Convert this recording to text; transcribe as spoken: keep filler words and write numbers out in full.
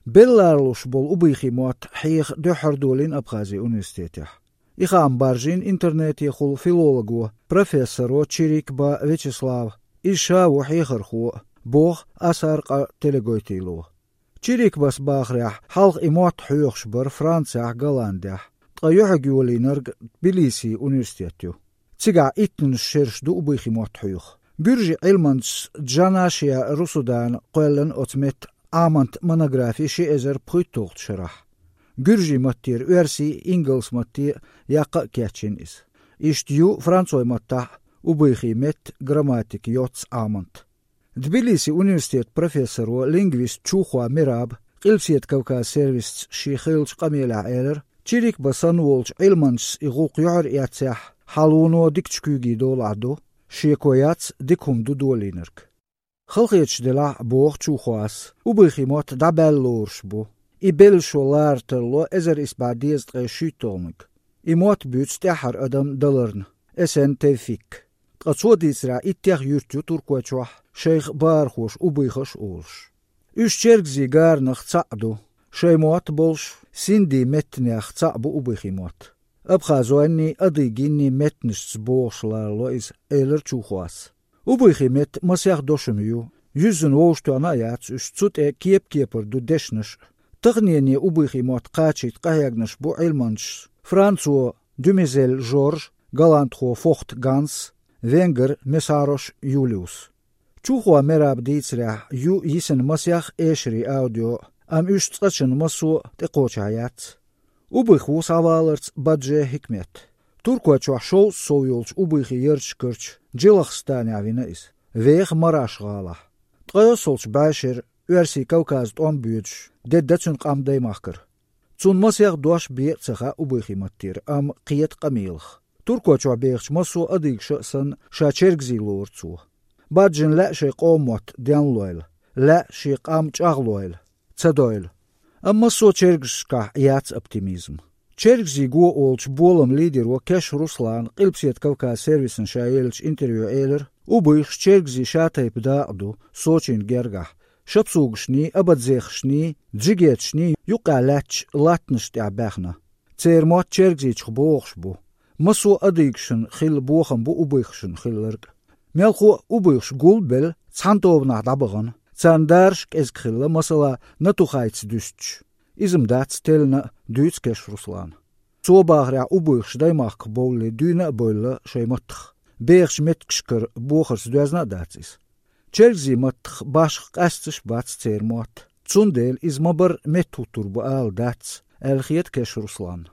Белла ларлуш болу убыхий мотт хьеха дуьххьара долийна Абхазин университетехь. И хаам баржийна интернетехула филолого, профессоро Чирикба Вячеслава, иза ша ву хьехархо, боху Асар-къа Телегойтило. Чирикбас бахарехь, хьалха и мотт хьоьхуш бара Францехь, Голландехь, ткъа юьхьиг йолийнарг Тбилисин университет ю. Цигахь иттанаш шераш ду убыхий мотт хьоьху. Гуьржийн Ӏилманчас Джанашия Русудана кхоьллина оцу метта Ӏамант монографи ши эзар пхуьйтталгӀачу шарахь. Гуьржийн маттера оьрсийн, ингалс матте яккха а кечйина иза. Иштта ю францойн маттахь убыхий метта грамматика йоццу Ӏамант. Тбилисин университетан профессоро, лингвист Чухоа Мераба Къилбаседа Кавказан сервисца шен хиллачу къамелехь элира, Чирикба санна волчу Ӏилманчас и гӀуллакх юьхьар эцнехь, хьалуно дикачу куьйгийн долахь ду, шеко яц дика хӀума ду долийнарг. Халахеташ делахь а, боху Чухоас, убыхий мотт дӀабаьлла лоруш бу. И белла шо лара тарло эзар исс бӀе дезткъе шийтталгӀаниг. И мотт буьйцу тӀаьххьара адам даларна, Эсен Тевфик. Ткъа цо дийцарехь, иттех юрт ю Туркойчохь, шайх бахархоша убыхаш а олуш. Уьш чергазийн гаранах цхьаъ ду. Шайн мотт болуш, синдийн меттанех цхьаъ бу убыхий мотт. Абхазойнний, адыгинний меттанашца богӀуш ларло иза, элира Чухоас. Убыхий метта масех дошам ю, юьззина вовшахтоьхна а яц уьш, цу тӀе кеп-кепара ду дешнаш а. Таханене убыхий мотт кхачийта къахьегнарш бу Ӏилманчаш: францо Дюмезель Жорж, голландхо Фохт Ганс, венгар Месарош Юлиус. Чухоа Мераба дийцарехь, ю йисина масех эшарийн аудио, амма уьш цкъачунна массо а тӀекхочехь яц. Убыхий ву схьаваларца бадже хӀикмет. Туркойчохь шовзткъа сов йолчу убыхий ярташкарчу Джилахстанехь вина иза, веха Мараш-гӀалахь. ТкъайоьсналгӀачу бӀешеран оьрсийн Кавказан тӀом боьдуш, де дан цуьнан къам Даймахкара. Цунна масех дош бен а ца хаьа убыхий маттера, амма кхета къамелах. Туркойчохь бехачу массо а адыгаша а санна, ша чергазий лору цо. Баджина лаьа шайн къоман мотт денлойла, лаьа шен къам чӀагӀлойла, ца дойла. Амма массо а чергазашкахь яц оптимизм. Чергазийн го олучу боламан лидеро Кеш Руслана Къилбаседа Кавказан сервисна ша еллачу интервьюхь элира, убыхаш чергазийн шатайпа дакъа ду Сочина гергахь, шапсугашний, абадзехашний, джигеташний юккъехь лаьттачу латтанаш тӀехь баьхна. Церан мотт чергазийчух богӀуш бу. Массо а адыгашна хилла бохам бу убыхашна хилларг. Мелхо а убыхаш гул а белла, цхьана тобанахь дӀабахана, царна дараш а кӀезиг хилла, масала, натухайца дуьстича. Иза-м дац теллина а, дуьйцу Кеш Руслана. Цо бахарехь, убыхаш Даймахках бовлле дуьйна а бевлла шайн маттах. Бехачу меттигашкара бохарца доьзна а дац иза. Чергазийн маттах башха къаьсташ а бац церан мотт. Цундела иза ма-барра меттахӀуттур бу ала дац, аьлла хета Кеш Русланна.